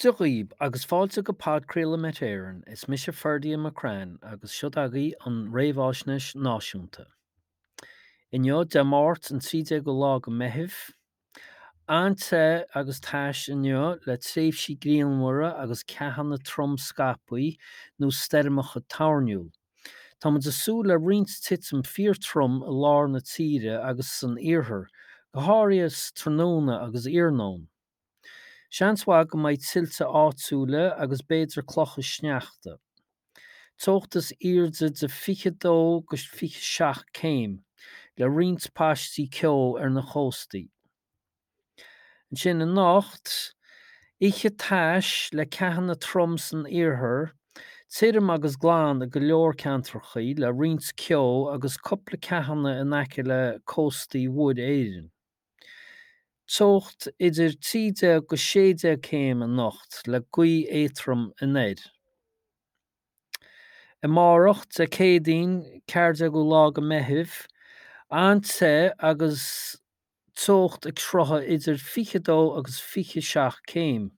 Dia dhaoib agus fáilte go podchraoladh Met Éireann, is mise Ferdia McCrann agus seod agaibh an réamháisnéis náisiúnta. Inniu, Dé Máirt an 13ú lá go Meitheamh. An-te agus tais inniu le tréimhsí grianmhara agus ceathanna trom scaipthe nó stoirmeacha toirniúil. Tá muid ag súil le roinnt titim fíor-trom i lár na tíre agus san iarthar, go háirithe sa tráthnóna agus iarnóin. Seans mhaith go mbeidh tuilte áitiúla agus b'fhéidir clocha sneachta. Teocht is airde de 22-27 céim, le roinnt paistí ceo ar na cóstaí. Ansin anocht, oíche tais le ceathanna trom san iarthar, tirim agus glan i go leor ceantrachaí le roinnt ceo agus cupla ceathanna in aice le cóstaí Mhuir Éireann. Teocht idir 13-16 céim anocht le gaoth éadtrom anoir. Amárach, Dé Céadaoin 14ú lá go Meitheamh, an-te agus teocht ag croitheadh idir 22 agus 27 céim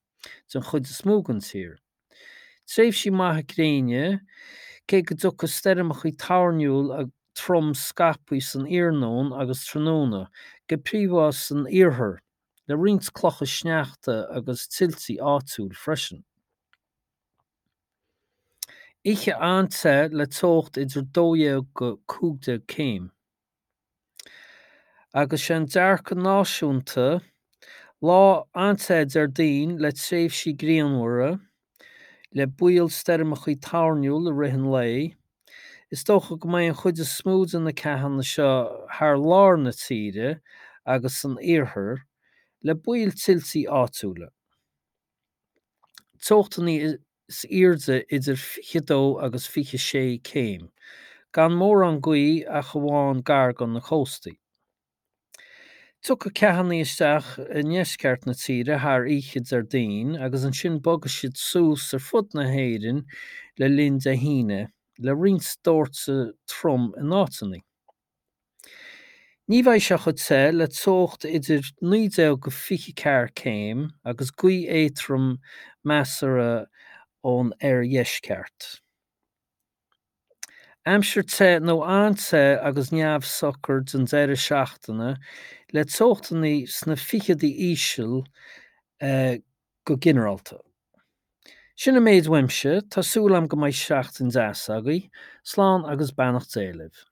den chuid is mó den tír. Tréimhsí maithe gréine, cé go dtiocfaidh stoirmeacha toirniúil trom scaipthe san iarnóin agus tráthnóna, go príomha san iarthar, le roinnt clocha sneachta agus tuiltí áitiúil freisin. Oíche an-te le teocht idir 12-15 céim. Agus sé an dearcadh náisiúnta, lá an-te Déardaoin le tréimhsí grianmhara, le baol stoirmeacha toirniúil i rith an lae. Is dócha go mbeidh an chuid is mó de na ceathanna seo thar lár na tíre agus san iarthar, le baol tuiltí áitiúla. Teochtanna is airde idir 22 agus 26 céim, gan mórán gaoth ach amháin gar do na cóstaí. Tiocfaidh ceathanna isteach i ndeisceart na tíre thar oíche Déardaoin agus ansin bogfaidh siad suas ar fud na hÉireann le linn Dé hAoine, le roinnt dóirteadh trom in áiteanna. Ní bheidh sé chomh te le teocht idir 19-24 céim agus gaoth éadtrom measartha ón oirdheisceart. Aimsir te nó an-te agus neamhshocair don deireadh seachtaine le teochtanna sna ficheadaí íseal go ginearálta. Sin an méid uaimse, tá súil agam go mbeidh seachtain deas agaibh. Slán agus beannacht Dé libh.